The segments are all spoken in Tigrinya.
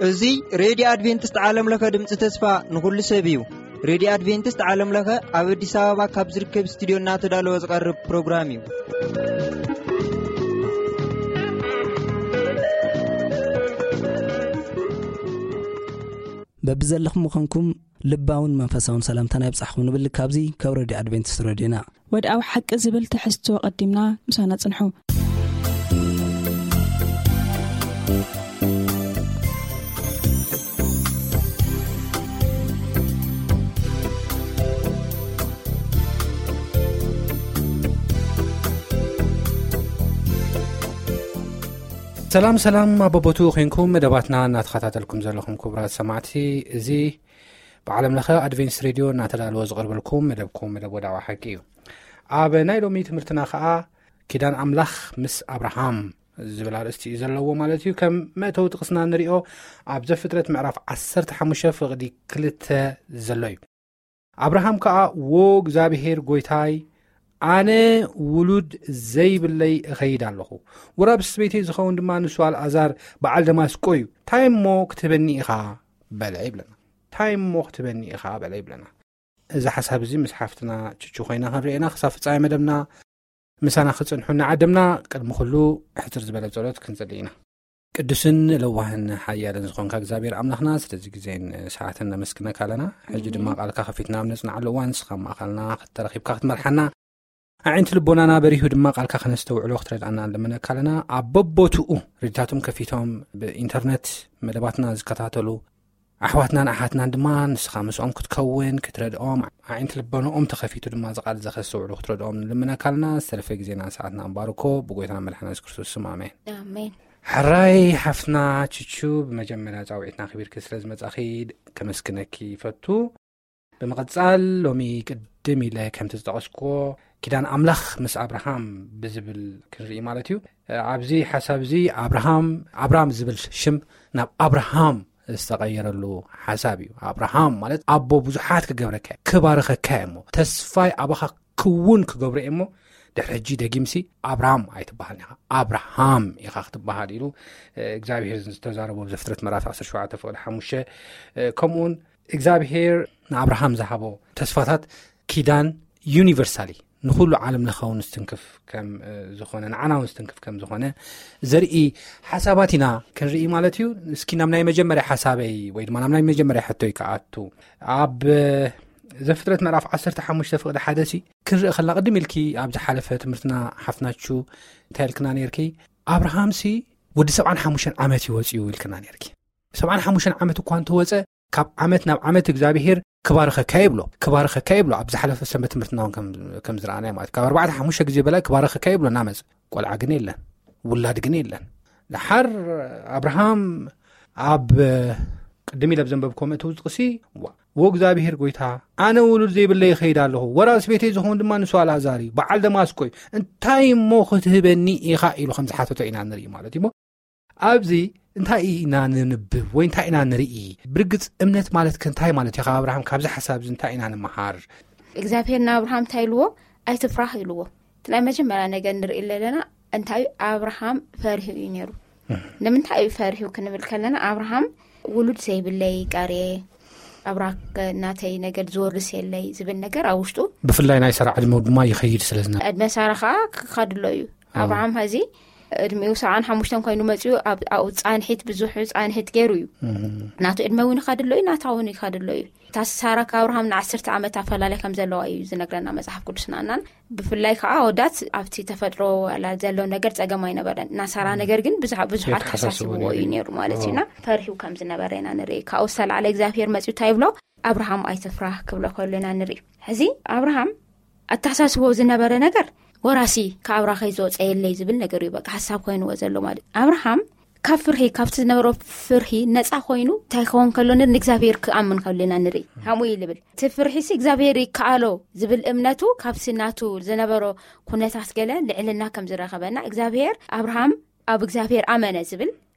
እዚ ሬድዮ ኣድቬንቲስት ዓለም ለኸ ድምፂ ተስፋ ንኹሉ ሰብ እዩ። ሬድዮ ኣድቬንቲስት ዓለም ለኸ ኣብ ኣዲስ ኣበባ ካብ ዝርከብ ስቱዲዮ እናተዳለወ ዝቐርብ ፕሮግራም እዩ። በብዘለኹም ምዃንኩም ልባውን መንፈሳውን ሰላምታና ይብጻሕኩም ንብል። ካብዚ ካብ ሬድዮ ኣድቬንቲስት ሬድዮና። ወድኣዊ ሓቂ ዝብል ትሕዝቶ ቀዲምና ምሳና ጽንሑ። ሰላም ሰላም፣ ኣብ በቦትኡ ኮንኩም መደባትና እናተኸታተልኩም ዘለኹም ክቡራት ሰማዕቲ፣ እዚ ብዓለም ለኸ ኣድቬንስ ሬድዮ እናተዳለወ ዝቐርበልኩም መደብኩም መደብ ወድኣዊ ሓቂ እዩ። ኣብ ናይ ሎሚ ትምህርትና ኸኣ ኪዳን ኣምላኽ ምስ ኣብርሃም ዝብል ኣርእስቲ እዩ ዘለዎ ማለት እዩ። ከም መእተዊ ጥቕስና ንሪኦ ኣብ ዘፍጥረት ምዕራፍ ዓሰርተ ሓሙሽተ ፍቕዲ ክልተ ዘሎ እዩ። ኣብርሃም ከኣ፣ "ዎ እግዚኣብሄር ጐይታይ፣ ኣነ ውሉድ ዘይብለይ እኸይድ ኣለኹ። ወራብ ስበይተይ ዝኸውን ድማ ንሱ ኣልኣዛር በዓል ደማስቆ እዩ። እንታይ እሞ ክትህበኒ ኢኻ?" በለ ይብለና። "እንታይ እሞ ክትህበኒ ኢኻ?" በለ ይብለና። እዚ ሓሳብ እዚ ምስ ሓፍትና ችቹ ኮይና ክንርእየና ክሳብ ፍጻሜ መደብና ምሳና ክጽንሑ እናዓደምና፣ ቅድሚ ኩሉ ሕጽር ዝበለ ጸሎት ክንጽሊ ኢና። ቅዱስን ለዋህን ሓያልን ዝኾንካ እግዚኣብሔር ኣምላኽና፣ ስለዚ ግዜን ሰዓትን ነመስግነካ ኣለና። ሕጂ ድማ ቃልካ ከፊትና ኣብ ነጽንዓሉ እዋን፣ ንስኻ ኣብ ማእከልና ተረኺብካ ክትመርሓና፣ ኣዒንቲ ልቦናና በሪሁ ድማ ቃልካ ከነስተውዕሎ ክትረድኣና ንልምነካ ኣለና። ኣብ በቦትኡ ሬድዮታቶም ከፊቶም ብኢንተርነት መደባትና ዝከታተሉ ኣሕዋትናን ኣሓትናን ድማ ንስኻ ምስኦም ክትከውን፣ ክትረድኦም፣ ኣዒንቲ ልቦናኦም ተኸፊቱ ድማ እዚ ቃል እዚ ከስተውዕሉ ክትረድኦም ንልምነካ ኣለና። ዝተረፈ ግዜና ሰዓትና ኣንባርኮ ብጎይታና መድሓና የሱስ ክርስቶስ ስም፣ ኣሜን። ኣሜን። ሕራይ ሓፍትና ችቹ፣ ብመጀመርያ ጻውዒትና ኣኽቢርኪ ስለ ዝመጻኺ ከመስግነኪ ይፈቱ። ብምቕጻል ሎሚ ቅድም ኢለ ከምቲ ዝጠቐስክዎ ኪዳን ኣምላኽ ምስ ኣብርሃም ብዝብል ክንርኢ ማለት እዩ። ኣብዚ ሓሳብ እዚ ኣብርሃም፣ ኣብራም ዝብል ሽም ናብ ኣብርሃም ዝተቐየረሉ ሓሳብ እዩ። ኣብርሃም ማለት ኣቦ ብዙሓት ክገብረካ፣ ክባርኸካ እየ እሞ፣ ተስፋይ ኣባኻ ክውን ክገብሮ እየ እሞ፣ ድሕሪ ሕጂ ደጊምሲ ኣብራም ኣይትበሃልን ኢኻ፣ ኣብርሃም ኢኻ ክትበሃል ኢሉ፣ እ፣ እግዚኣብሄር ዝተዛረቦ ኣብ ዘፍጥረት ምዕራፍ ዓሰርተ ሸውዓተ ፍቕዲ ሓሙሽተ፣ እ፣ ከምኡውን እግዚኣብሄር ንኣብርሃም ዝሃቦ ተስፋታት ኪዳን ዩኒቨርሳሊ ንኹሉ ዓለም ለኻውን ዝትንክፍ ከም፣ እ፣ ዝኾነ፣ ንዓና እውን ዝትንክፍ ከም ዝኾነ ዘርኢ ሓሳባት ኢና ክንርኢ ማለት እዩ። እስኪ ናብ ናይ መጀመርያ ሓሳበይ ወይ ድማ ናብ ናይ መጀመርያ ሕቶይ ክኣቱ። ኣብ፣ እ፣ ዘፍጥረት ምዕራፍ ዓሰርተ ሓሙሽተ ፍቕዲ ሓደ ሲ ክንርኢ ከለና፣ ቅድም ኢልኪ ኣብ ዝሓለፈ ትምህርትና ሓፍናቹ እንታይ ኢልክና ነይርኪ? ኣብርሃምሲ ወዲ ሰብዓን ሓሙሽተን ዓመት እዩ ወፂኡ ኢልክና ነይርኪ። ሰብዓን ሓሙሽተን ዓመት እኳ እንተወፀ፣ ካብ ዓመት ናብ ዓመት እግዚኣብሄር ክባርኸካ ይብሎ፣ ክባርኸካ ይብሎ። ኣብ ዝሓለፈ ሰንበት ትምህርትና እውን ከም፣ ከም ዝረኣናዮ ማለት፣ ካብ ኣርባዕተ ሓሙሽተ ግዜ በላይ ክባርኸካ ይብሎ እናመፀ። ቆልዓ ግን የለን፣ ውላድ ግን የለን። ደሓር ኣብርሃም ኣብ ቅድም ኢለ ኣብ ዘንበብኮ መእተዊ ጥቕሲ፣ ዋ፣ "ዎ እግዚኣብሄር ጐይታ፣ ኣነ ውሉድ ዘይብለይ ይኸይድ ኣለኹ፣ ወራስ ቤተይ ዝኸውን ድማ ንሱ ኣልኣዛር እዩ፣ በዓል ደማስቆ እዩ፣ እንታይ እሞ ክትህበኒ ኢኻ?" ኢሉ ከም ዝሓተቶ ኢና ንርኢ ማለት እዩ። እሞ ኣብዚ እንታይ ኢና ንንብብ ወይ እንታይ ኢና ንርኢ? ብርግጽ እምነት ማለት ከ እንታይ ማለት እዩ? ካብ ኣብርሃም ካብዚ ሓሳብ እዚ እንታይ ኢና ንምሃር? እግዚኣብሄር ንኣብርሃም እንታይ ኢልዎ? "ኣይትፍራህ" ኢልዎ። እቲ ናይ መጀመርያ ነገር ንርኢ ዘለና እንታይ ኣብርሃም ፈሪሁ እዩ ነይሩ። እህ። ንምንታይ እዩ ፈሪሁ ክንብል ከለና ኣብርሃም ውሉድ ዘይብለይ ቀርየ፣ ኣብራክ ናተይ ነገድ ዝወርስ የለይ ዝብል ነገር ኣብ ውሽጡ ብፍላይ ናይ ሰራ ዕድመ ድማ ይኸይድ ስለ ዝነበረ። ዕድመ ሳራ ከዓ ክኸድሎ እዩ። ኣዎ። ኣብርሃም ሐዚ ዕድሚኡ ሰብዓን ሓሙሽተን ኮይኑ መፂኡ ኣብ፣ ኣብኡ ፃንሒት ብዙሕ ፃንሒት ገይሩ እዩ። እህ። ናቱ ዕድመ እውን ይኸድሎ እዩ፣ ናታ እውን ይኸድሎ እዩ። እታ ሳራ ካብ ኣብርሃም ንዓሰርተ ዓመት ኣፈላለይ ከም ዘለዋ እዩ ዝነግረና መጽሓፍ ቅዱስና። እናን ብፍላይ ከዓ ኣወዳት ኣብቲ ተፈጥሮ ዋላ ዘሎ ነገር ጸገም ኣይነበረን። እና ሳራ ነገር ግን ብዙሓ-፣ ብዙሓት የተሓሳስቦ ተሓሳስብዎ ነይሩ እዩ እዩ። ነይሩ ማለት እዩ። ኣዎ። እና ፈሪሁ ከም ዝነበረ ኢና ንርኢ። ካብኡ ዝተላዕለ እግዚኣብሔር መጺኡ እንታይ ይብሎ? "ኣብርሃም ኣይትፍራህ" ክብሎ ከሎ ኢና ንርኢ። ሕዚ ኣብርሃም ኣተሓሳስቦ ዝነበረ ነገር ወራሲ ካብ ኣብራኸይ ዝወፀ የለይ ዝብል ነገር እዩ። በቃ ሓሳብ ኮይንዎ ዘሎ ማለት እዩ። ኣብርሃም ካብ ፍርሂ፣ ካብቲ ዝነበሮ ፍርሂ ነፃ ኮይኑ እንታይ ክኸውን ከሎ ን-፣ ንእግዚኣብሔር ክኣምን ከሎ ኢና ንርኢ። ከምኡ እዩ ዝብል። እቲ ፍርሂሲ እግዚኣብሔር ይከኣሎ ዝብል እምነቱ ካብቲ ናቱ ዝነበሮ ኩነታት ገለ ልዕልና ከም ዝረኸበና እግዚኣብሔር ኣብርሃም ኣብ እግዚኣብሔር ኣመነ ዝብል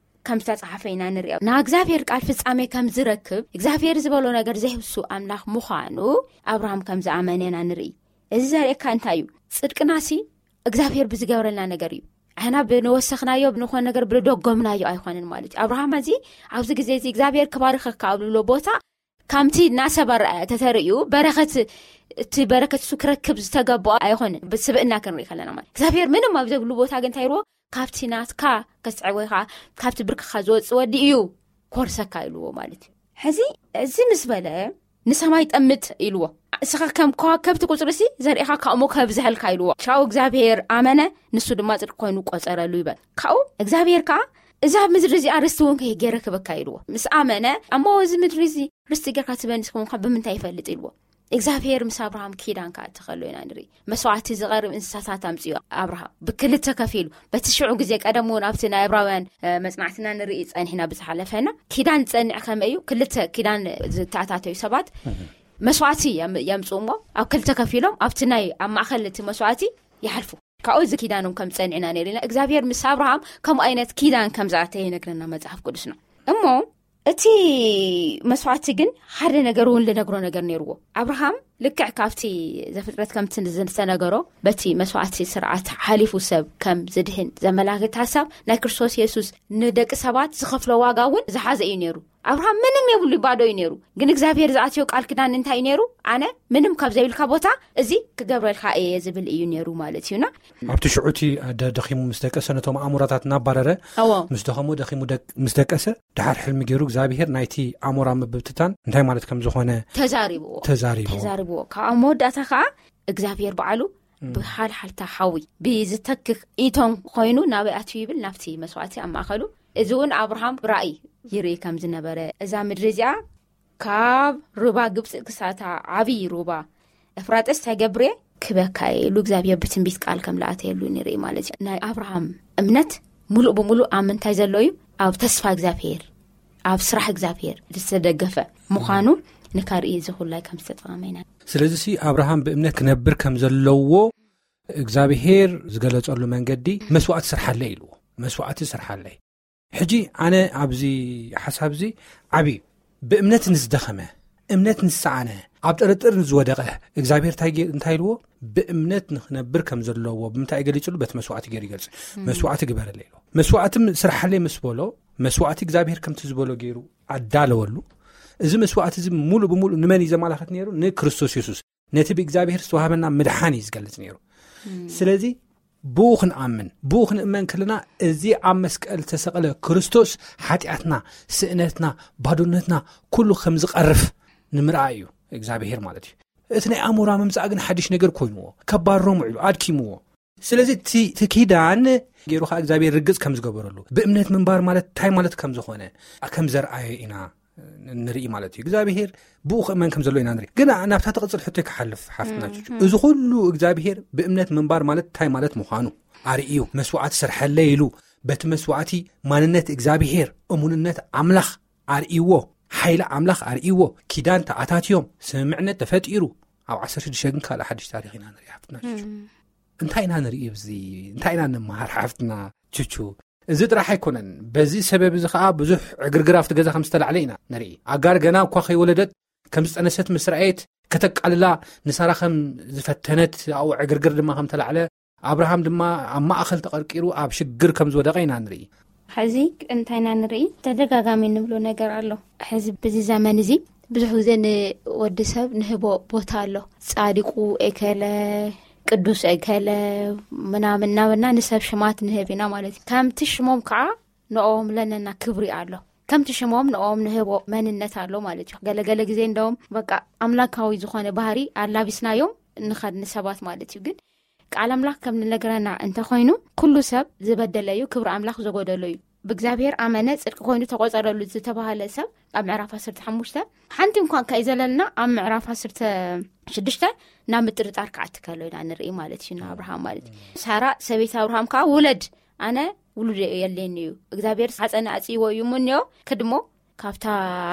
ከም ዝተጻሓፈ ኢና ንሪኦ። ንእግዚኣብሔር ቃል ፍጻሜ ከም ዝረክብ እግዚኣብሔር ዝበሎ ነገር ዘይህሱ ኣምላኽ ምዃኑ ኣብርሃም ከም ዝኣመነ ኢና ንርኢ። እዚ ዘርእካ እንታይ እዩ? ጽድቅናሲ እግዚኣብሔር ብዝገብረልና ነገር እዩ። ኣሕና ብንወሰኽናዮ ብንኾነ ነገር ብልደጎምናዮ ኣይኾንን ማለት እዩ። ኣብርሃም እዚ ኣብዚ ግዜ እዚ እግዚኣብሔር ክባርኸካ ኣብ ልብሎ ቦታ፣ ከምቲ እናሰብ ኣረኣያ ተተርእዩ በረኸት፣ እቲ በረከት እሱ ክረክብ ዝተገባኦ ኣይኾንን። ብስብእና ክንርኢ ከለና ማለት እግዚኣብሔር ምንም ኣብ ዘብሉ ቦታ ግን እንታይ ይርዎ? ካብቲ ናትካ ከስዕቦ ኢኻ፣ ካብቲ ብርክኻ ዝወፅእ ወዲ እዩ ኮርሰካ ኢልዎ ማለት እዩ። ሕዚ እዚ ምስ በለ ንሰማይ ጠምት ኢልዎ። እስኻ ከም ከዋከብቲ ቁፅሪ ሲ ዘርእኻ ካብሞ ከብዝሐልካ ኢልዎ። ሻው እግዚኣብሔር ኣመነ፣ ንሱ ድማ ጽድቂ ኮይኑ ቆጸረሉ ይበል። ካብኡ እግዚኣብሔር ከዓ እዛ ምድሪ እዚኣ ርስቲ እውን ከይገረክበካ ኢልዎ። ምስ ኣመነ ኣሞ እዚ ምድሪ እዚ ርስቲ ገርካ ትበንስ ከሆንካ ብምንታይ ይፈልጥ ኢልዎ። እግዚኣብሔር ምስ ኣብርሃም ኪዳን ከዓ እትኸሎ ኢና ንርኢ። መስዋዕቲ ዝቐርብ እንስሳታት ኣምፅኡ ኣብርሃም ብክልተ ከፊሉ። በቲ ሽዑ ግዜ ቀደም እውን ኣብቲ ናይ ዕብራውያን መፅናዕትና ንርኢ ፀኒሕና ብዝሓለፈና ኪዳን ዝፀንዕ ከመይ እዩ? ክልተ ኪዳን ዝተኣታተዩ ሰባት መስዋዕቲ የምፅኡ እሞ ኣብ ክልተ ከፊሎም ኣብቲ ናይ ኣብ ማእኸል እቲ መስዋዕቲ ይሓልፉ። ካብኡ እዚ ኪዳኖም ከም ፀንዕና ነርና እግዚኣብሔር ምስ ኣብርሃም ከምኡ ዓይነት ኪዳን ከም ዝኣተየ ይነግረና መፅሓፍ ቅዱስና። እሞ እቲ መስዋዕቲ ግን ሓደ ነገር እውን ልነግሮ ነገር ነይርዎ። ኣብርሃም ልክዕ ካብቲ ዘፍጥረት ከምቲ ዝተነገሮ በቲ መስዋዕቲ ስርዓት ሓሊፉ ሰብ ከም ዝድህን ዘመላክት ሓሳብ ናይ ክርስቶስ የሱስ ንደቂ ሰባት ዝኸፍሎ ዋጋ እውን ዝሓዘ እዩ ነይሩ። ኣብርሃም ምንም የብሉ፣ ባዶ እዩ ነይሩ። ግን እግዚኣብሔር ዝኣትዮ ቃል ክዳን እንታይ እዩ ነይሩ? ኣነ ምንም ካብ ዘይብልካ ቦታ እዚ ክገብረልካ እየ ዝብል እዩ ነይሩ ማለት እዩና። ኣብቲ ሽዑቲ ኣደ ደኺሙ ምስ ደቀሰ ነቶም ኣእምሮታት እናባረረ እዎ። ምስ ደኸሞ ደኺሙ ምስ ደቀሰ ድሓር ሕልሚ ገይሩ እግዚኣብሔር ናይቲ ኣሞራ ምብብትታን እንታይ ማለት ከም ዝኾነ ተዛሪብዎ። ተዛሪብዎ። ተዛሪብዎ። ካብ ኣብ መወዳእታ ከዓ እግዚኣብሔር በዓሉ ብሓልሓልታ ሓዊ ብዝተክኽ ኢቶን ኮይኑ ናበይ ኣትዩ ይብል? ናብቲ መስዋዕቲ ኣብ ማእኸሉ። እዚ እውን ኣብርሃም ብራእይ ይርኢ ከም ዝነበረ፣ እዛ ምድሪ እዚኣ ካብ ሩባ ግብፂ ክሳታ ዓብዪ ሩባ እፍራጥስ ተገብሬ ክበካ ኢሉ እግዚኣብሔር ብትንቢት ቃል ከም ለኣተየሉ ንርኢ ማለት እዩ። ናይ ኣብርሃም እምነት ሙሉእ ብሙሉእ ኣብ ምንታይ ዘሎ እዩ? ኣብ ተስፋ እግዚኣብሔር፣ ኣብ ስራሕ እግዚኣብሔር ዝተደገፈ ምዃኑ ንካርኢ እዚ ኩላይ ከም ዝተጠቐመ ኢና። ስለዚ ሲ ኣብርሃም ብእምነት ክነብር ከም ዘለዎ እግዚኣብሔር ዝገለጸሉ መንገዲ መስዋዕቲ ስርሓለይ ኢልዎ። መስዋዕቲ ስርሓለይ። ሕጂ ኣነ ኣብዚ ሓሳብ እዚ ዓብዪ ብእምነት ንዝደኸመ፣ እምነት ንዝሰኣነ፣ ኣብ ጥርጥር ንዝወደቐ እግዚኣብሔር እንታይ ገ- እንታይ ኢልዎ? ብእምነት ንክነብር ከም ዘለዎ ብምንታይ ገሊፅሉ? በቲ መስዋዕቲ ገይሩ ይገልፅ። መስዋዕቲ ግበረለይ ኢልዎ። መስዋዕቲ ም- ስርሓለይ ምስ በሎ መስዋዕቲ እግዚኣብሔር ከምቲ ዝበሎ ገይሩ ኣዳለወሉ። እዚ መስዋዕቲ እዚ ሙሉእ ብሙሉእ ንመን እዩ ዘመላኽት ነይሩ? ንክርስቶስ የሱስ። ነቲ ብእግዚኣብሔር ዝተዋህበና ምድሓን እዩ ዝገልጽ ነይሩ። ስለዚ ብኡ ክንኣምን፣ ብኡ ክንእመን ከለና እዚ ኣብ መስቀል ዝተሰቐለ ክርስቶስ ሓጢኣትና፣ ስእነትና፣ ባዶነትና ኩሉ ከም ዝቐርፍ ንምርኣይ እዩ እግዚኣብሔር ማለት እዩ። እቲ ናይ ኣሞራ ምምጻእ ግን ሓድሽ ነገር ኮይንዎ፣ ከባርሮም ውዒሉ ኣድኪምዎ። ስለዚ እቲ እቲ ኪዳን ገይሩ ከዓ እግዚኣብሔር ርግጽ ከም ዝገበረሉ፣ ብእምነት ምንባር ማለት እንታይ ማለት ከም ዝኾነ ከም ዘርኣየ ኢና ንርኢ ማለት እዩ። እግዚኣብሔር ብኡ ክእመን ከም ዘሎ ኢና ንርኢ። ግን ናብታ ትቕጽል ሕቶ ክሓልፍ ሓፍትና ቹቹ፣ እዚ ኩሉ እግዚኣብሔር ብእምነት ምንባር ማለት እንታይ ማለት ምዃኑ ኣርእዩ፣ መስዋዕቲ ስርሐለይ ኢሉ በቲ መስዋዕቲ ማንነት እግዚኣብሔር፣ እሙንነት ኣምላኽ ኣርእይዎ፣ ሓይሊ ኣምላኽ ኣርእይዎ፣ ኪዳን ተኣታትዮም፣ ስምምዕነት ተፈጢሩ። ኣብ ዓሰርተ ሽዱሽተ ግን ካልእ ሓድሽ ታሪኽ ኢና ንርኢ ሓፍትና ቹቹ። እንታይ ኢና ንርኢ ኣብዚ? እንታይ ኢና ንምሃር ሓፍትና ቹቹ? እዚ ጥራሕ ኣይኮነን። በዚ ሰበብ እዚ ከዓ ብዙሕ ዕግርግር ኣብቲ ገዛ ከም ዝተላዕለ ኢና ንርኢ። ኣጋር ገና እኳ ከይወለደት ከም ዝጠነሰት ምስ ረኣየት ከተቃልላ ንሳራ ከም ዝፈተነት፣ ኣብኡ ዕግርግር ድማ ከም ተላዕለ፣ ኣብርሃም ድማ ኣብ ማእኸል ተቐርቂሩ ኣብ ሽግር ከም ዝወደቐ ኢና ንርኢ። ሕዚ እንታይ ኢና ንርኢ? ተደጋጋሚ እንብሎ ነገር ኣሎ። ሕዚ በዚ ዘመን እዚ ብዙሕ ግዜ ንወዲ ሰብ ንህቦ ቦታ ኣሎ። ጻድቁ ኤከለ፣ ቅዱስ ኤከለ ምናምን እናበልና ንሰብ ሽማት ንህብ ኢና ማለት እዩ። ከምቲ ሽሞም ከዓ ንኦም ለነና ክብሪ ኣሎ። ከምቲ ሽሞም ንኦም ንህቦ መንነት ኣሎ ማለት እዩ። ገለገለ ግዜ እንደውም በቃ ኣምላካዊ ዝኾነ ባህሪ ኣላቢስናዮም ንኸድ ንሰባት ማለት እዩ። ግን ቃል ኣምላኽ ከም ንነግረና እንተኾይኑ ኩሉ ሰብ ዝበደለ እዩ፣ ክብሪ ኣምላኽ ዘጎደሎ እዩ። ብእግዚኣብሔር ኣመነ ጽድቂ ኮይኑ ተቆጸረሉ ዝተባህለ ሰብ ኣብ ምዕራፍ ዓሰርተ ሓሙሽተ ሓንቲ እንኳን ከይዘለልና ኣብ ምዕራፍ ዓሰርተ ሽዱሽተ ናብ ምጥርጣር ክኣቲ ከሎ ኢና ንርኢ ማለት እዩ። ንኣብርሃም ማለት እዩ። ሳራ ሰበይቲ ኣብርሃም ከዓ ውለድ፣ ኣነ ውሉድ የለኒ እዩ፣ እግዚኣብሔር ሓፀነ ኣፅይዎ እዩ እሞ እኒኦ ክድሞ ካብታ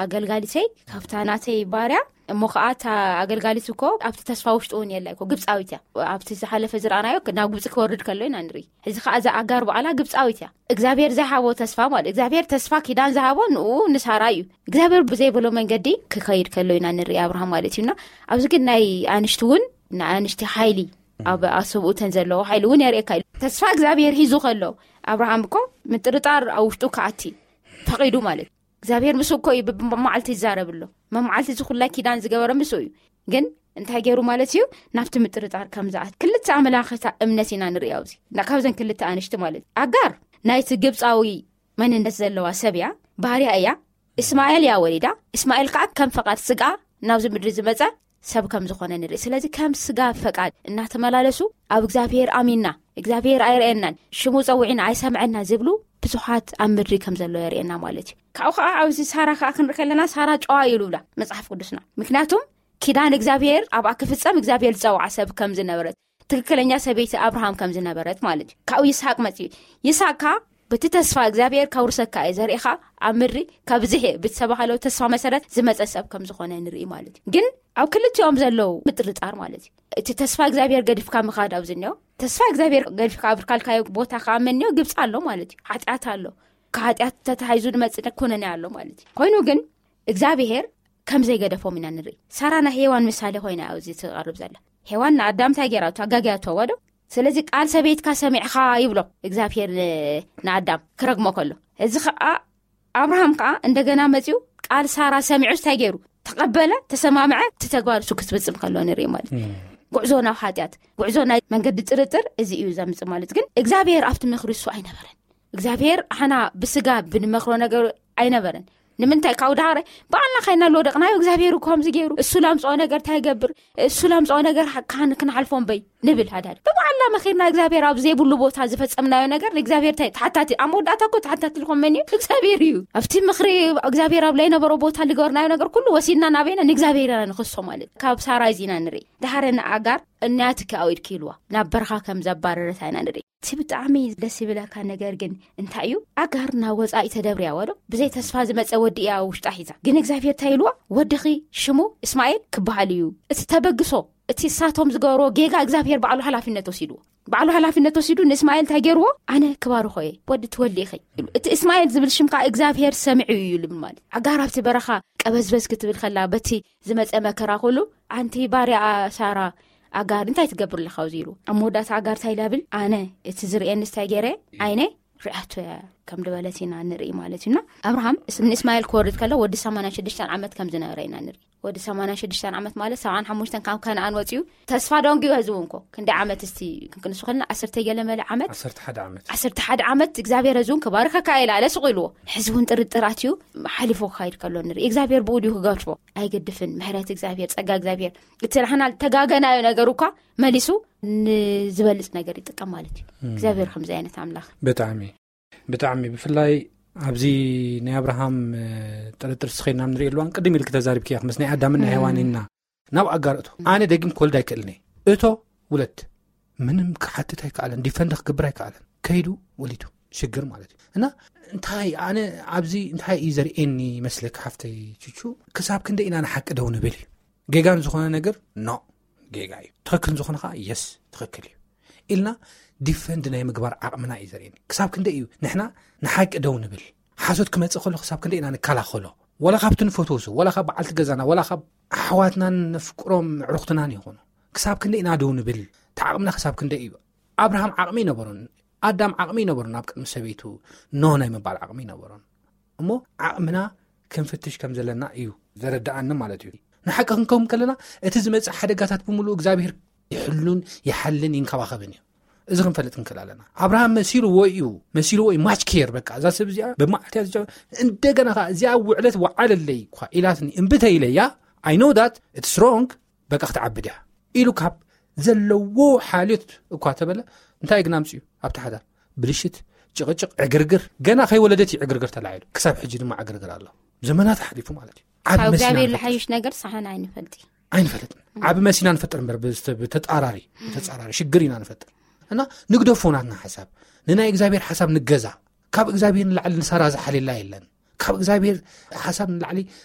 ኣገልጋሊተይ ካብታ ናተይ ባርያ እሞ ከዓ እታ ኣገልጋሊት እኮ ኣብቲ ተስፋ ውሽጡ እውን የላ እኮ ግብፃዊት እያ። ኣብቲ ዝሓለፈ ዝረኣናዮ ናብ ግብፂ ክወርድ ከሎ ኢና ንርኢ። ሕዚ ከዓ እዛ ኣጋር በዓላ ግብፃዊት እያ። እግዚኣብሔር ዘይሃቦ ተስፋ ማለት እግዚኣብሔር ተስፋ ኪዳን ዝሃቦ ንኡ ንሳራ እዩ። እግዚኣብሔር ብዘይበሎ መንገዲ ክኸይድ ከሎ ኢና ንርኢ ኣብርሃም ማለት እዩና። ኣብዚ ግን ናይ ኣንሽቲ እውን ንኣንሽቲ ሓይሊ፣ ኣብ ኣሰብኡተን ዘለዎ ሓይሊ እውን የርእየካ እዩ። ተስፋ እግዚኣብሔር ሒዙ ከሎ፣ ኣብርሃም እኮ ምጥርጣር ኣብ ውሽጡ ክኣቲ ፈቒዱ ማለት እዩ። እግዚኣብሔር ምስ እኮ እዩ ብመዓልቲ ይዛረብ ኣሎ። መመዓልቲ እዚ ኩላይ ኪዳን ዝገበረ ምስ እዩ። ግን እንታይ ገይሩ ማለት እዩ? ናብቲ ምጥርጣር ከም ዝኣት ክልተ ኣመላኽታ እምነት ኢና ንርኢ ኣብዚ። እና ካብዘን ክልተ ኣንሽቲ ማለት እዩ። ኣጋር ናይቲ ግብፃዊ መንነት ዘለዋ ሰብ እያ፣ ባርያ እያ። እስማኤል እያ ወሊዳ። እስማኤል ከዓ ከም ፈቓድ ስጋ ናብዚ ምድሪ ዝመፀ ሰብ ከም ዝኾነ ንርኢ። ስለዚ ከም ስጋ ፈቃድ እናተመላለሱ ኣብ እግዚኣብሔር ኣሚንና፣ እግዚኣብሔር ኣይርእየናን፣ ሽሙ ጸዊዕና ኣይሰምዐና ዝብሉ ብዙሓት ኣብ ምድሪ ከም ዘሎ የርእየና ማለት እዩ። ካብኡ ከዓ ኣብዚ ሳራ ከዓ ክንርኢ ከለና ሳራ ጨዋ እዩ ይብላ መጽሓፍ ቅዱስና። ምክንያቱም ኪዳን እግዚኣብሔር ኣብኣ ክፍጸም እግዚኣብሔር ዝጸውዓ ሰብ ከም ዝነበረት፣ ትክክለኛ ሰበይቲ ኣብርሃም ከም ዝነበረት ማለት እዩ። ካብኡ ይስሐቅ መጽዩ። ይስሐቅ ከዓ በቲ ተስፋ እግዚኣብሔር ከውርሰካ እየ ዘርእኻ ኣብ ምድሪ ካብዝሕ ብዝተባህለው ተስፋ መሰረት ዝመጸ ሰብ ከም ዝኾነ ንርኢ ማለት እዩ። ግን ኣብ ክልቲኦም ዘለዉ ምጥርጣር ማለት እዩ። እቲ ተስፋ እግዚኣብሔር ገዲፍካ ምኻድ ኣብዚ እኒኦ፣ ተስፋ እግዚኣብሔር ገዲፍካ ኣብ ካልካዮ ቦታ ክኣመን እኒኦ፣ ግብፂ ኣሎ ማለት እዩ። ሓጢኣት ኣሎ። ካብ ሓጢኣት ተታሒዙ ዝመፅእ ኩነኔ ኣሎ ማለት እዩ። ኮይኑ ግን እግዚኣብሔር ከም ዘይገደፎም ኢና ንርኢ። ሳራ ናይ ሄዋን ምሳሌ ኮይና ኣብዚ ትቐርብ ዘላ። ሄዋን ንኣዳም እንታይ ገይራቶ? ኣጋግያቶ ወዶ። ስለዚ ቃል ሰበይትካ ሰሚዕኻ ይብሎ እግዚኣብሔር ን-፣ ንኣዳም ክረግሞ ከሎ። እዚ ኸዓ ኣብርሃም ከዓ እንደገና መፂኡ ቃል ሳራ ሰሚዑ እንታይ ገይሩ? ተቐበለ፣ ተሰማምዐ፣ እቲ ተግባር እሱ ክትፍጽም ከሎ ንርኢ ማለት እዩ። ጉዕዞ ናብ ሓጢኣት፣ ጉዕዞ ናይ መንገዲ ጥርጥር እዚ እዩ ዘምጽእ ማለት። ግን እግዚኣብሔር ኣብቲ ምኽሪ እሱ ኣይነበረን። እግዚኣብሔር ኣሕና ብስጋ ብንመኽሮ ነገር ኣይነበረን። ንምንታይ ካብ ዳረ ባዕልና ኸይና ለወደቕናዮ እግዚኣብሔር እኮ ከምዚ ገይሩ፣ እሱ ላምፅኦ ነገር እንታይ ይገብር፣ እሱ ላምፅኦ ነገር ካን ክንሓልፎ እምበይ ንብል። ሃዳድ ብባዕልና መኺርና እግዚኣብሔር ኣብ ዘይብሉ ቦታ ዝፈጸምናዮ ነገር ንእግዚኣብሔር እንታይ ተሓታቲ፣ ኣብ መወዳእታ እኮ ተሓታቲ ዝኾን መን እዩ? እግዚኣብሔር እዩ። ኣብቲ ምኽሪ እግዚኣብሔር ኣብ ዘይነበሮ ቦታ ዝገበርናዮ ነገር ኩሉ ወሲድና ናበይና ንእግዚኣብሔር ኢና ንኽሶ ማለት ካብ ሳራ እዚ ኢና ንርኢ። ድሓረ ንኣጋር እናትኪ ኣውኢድኪ ኢልዋ ናብ በረኻ ከም ዘባረረታ ኢና ንርኢ። እቲ ብጣዕሚ ደስ ይብለካ ነገር ግን እንታይ እዩ? ኣጋር ናብ ወፃኢ ተደብርያ ወዶ ብዘይ ተስፋ ዝመፀ ወዲ እያ ውሽጣ ሒዛ። ግን እግዚኣብሔር እንታይ ኢልዋ? ወድኺ ሽሙ እስማኤል ክበሃል እዩ። እቲ ተበግሶ፣ እቲ እሳቶም ዝገበርዎ ጌጋ እግዚኣብሔር ባዕሉ ሓላፊነት ወሲድዎ። ባዕሉ ሓላፊነት ወሲዱ ንእስማኤል እንታይ ገይርዎ? ኣነ ክባርኾ እየ፣ ወዲ ትወልዲ ኢኺ ኢሉ። እቲ እስማኤል ዝብል ሽም ከዓ እግዚኣብሔር ሰሚዑ እዩ ልብል ማለት። ኣጋር ኣብቲ በረኻ ቀበዝበዝ ክትብል ከላ በቲ ዝመፀ መከራ ኩሉ ኣንቲ ባርያ ሳራ ኣጋር እንታይ ትገብር ኣለኻ ኣብዚ ኢሉ። ኣብ መወዳእታ ኣጋር እንታይ ኢላ ብል? ኣነ እቲ ዝርእየኒ እንታይ ገይረ? ዓይነ ሪኣቶ እያ ከም ድበለት ኢና ንርኢ ማለት እዩና። ኣብርሃም እስ-፣ ንእስማኤል ክወርድ ከሎ ወዲ ሰማንያን ሽዱሽተን ዓመት ከም ዝነበረ ኢና ንርኢ። ወዲ ሰማንያን ሽዱሽተን ዓመት ማለት ሰብዓን ሓሙሽተን ካብ ከነኣን ወፂኡ ተስፋ ደንጉዩ ህዝቡ እንኮ ክንደይ ዓመት እስቲ ክንቅንሱ ከለና ዓሰርተ ገለ መለ ዓመት ዓሰርተ ሓደ ዓመት። ዓሰርተ ሓደ ዓመት እግዚኣብሔር ህዝቡን ክባርከካ ኢላ ኣለ ስቕ ኢልዎ። ሕዚ እውን ጥርጥራት እዩ ሓሊፎ ክካይድ ከሎ ንርኢ። እግዚኣብሔር ብኡ ድዩ ክገድፎ? ኣይገድፍን። ምሕረት እግዚኣብሔር፣ ጸጋ እግዚኣብሔር፣ እቲ ንሕና ተጋገናዮ ነገር እኳ መሊሱ ንዝበልጽ ነገር ይጥቀም ማለት እዩ። እግዚኣብሔር ከምዚ ዓይነት ኣምላኽ። ብጣዕሚ፣ ብጣዕሚ ብፍላይ ኣብዚ ናይ ኣብርሃም፣ እ፣ ጥርጥር ስኸይና ንርኢ ኣለዋን ቅድም ኢልክ ተዛሪብክያ ምስ ናይ ኣዳምን ናይ ሄዋን ኢና ናብ ኣጋር እቶ። ኣነ ደጊም ክወልድ ኣይክእልን እየ። እቶ ውለድ ምንም ክሓትት ኣይከኣለን፣ ዲፈንድ ክገብር ኣይከኣለን። ከይዱ ወሊዱ ሽግር ማለት እዩ። እና እንታይ ኣነ ኣብዚ እንታይ እዩ ዘርእየኒ መስለክ ሓፍተይ ቹቹ፣ ክሳብ ክንደ ኢና ንሓቂ ደው ንብል እዩ። ጌጋን ዝኾነ ነገር ኖ ጌጋ እዩ፣ ትኽክል ዝኾነ ከዓ የስ ትኽክል እዩ ኢልና ዲፈንድ ናይ ምግባር ዓቕምና እዩ ዘርእየኒ። ክሳብ ክንደ እዩ ንሕና ንሓቂ ደው ንብል? ሓሶት ክመጽእ ከሎ ክሳብ ክንደ ኢና ንከላኸሎ? ወላ ካብቲ ንፈትዎ ሰብ፣ ወላ ካብ በዓልቲ ገዛና፣ ወላ ካብ ኣሕዋትናን ነፍቅሮም ኣዕሩኽትናን ይኹኑ፣ ክሳብ ክንደ ኢና ደው ንብል? እቲ ዓቕምና ክሳብ ክንደ እዩ? ኣብርሃም ዓቕሚ ይነበሮን ኣዳም ዓቕሚ ይነበሮን ኣብ ቅድሚ ሰበይቱ ኖ ናይ ምባል ዓቕሚ ይነበሮን። እሞ ዓቕምና ክንፍትሽ ከም ዘለና እዩ ዘረድኣኒ ማለት እዩ። ንሓቂ ክንከውን ከለና እቲ ዝመጽእ ሓደጋታት ብምሉኡ እግዚኣብሔር ይሕሉን ይሓልን ይንከባኸብን እዩ። እዚ ክንፈልጥ ክንክእል ኣለና። ኣብርሃም መሲልዎ እዩ፣ መሲልዎ እዩ ማች ኬር። በቃ እዛ ሰብ እዚኣ ብመዓልቲ እያ ዝጨ-፣ እንደገና ከዓ እዚኣ ውዕለት ወዓለለይ እኳ ኢላትኒ እምብተ ኢለያ፣ I know that it's wrong፣ በቃ ክትዓብድ እያ ኢሉ ካብ ዘለዎ ሓልዮት እኳ ተበለ፣ እንታይ ግን ኣምፅኡ ኣብቲ ሓዳር? ብልሽት፣ ጭቕጭቕ፣ ዕግርግር። ገና ከይወለደት እዩ ዕግርግር ተላዒሉ። ክሳብ ሕጂ ድማ ዕግርግር ኣሎ። ዘመናት ሓሊፉ ማለት እዩ። ዓቢ ካብ መሲና እግዚኣብሔር ንፈጥር። ዝሓይሽ ነገር ሳሕና ኣይንፈልጥ። ኣይንፈልጥን። ዓቢ መሲና ንፈጥር እምበር ብዝተ-፣ ብተጻራሪ፣ ብተጻራሪ ሽግር ኢና ንፈጥር። እና ንግደፎ ናትና ሓሳብ። ንናይ እግዚኣብሔር ሓሳብ ንገዛ። ካብ እግዚኣብሔር ንላዕሊ ንሳራ ዝሓልየላ የለን። ካብ እግዚኣብሔር ሓሳብ ንላዕሊ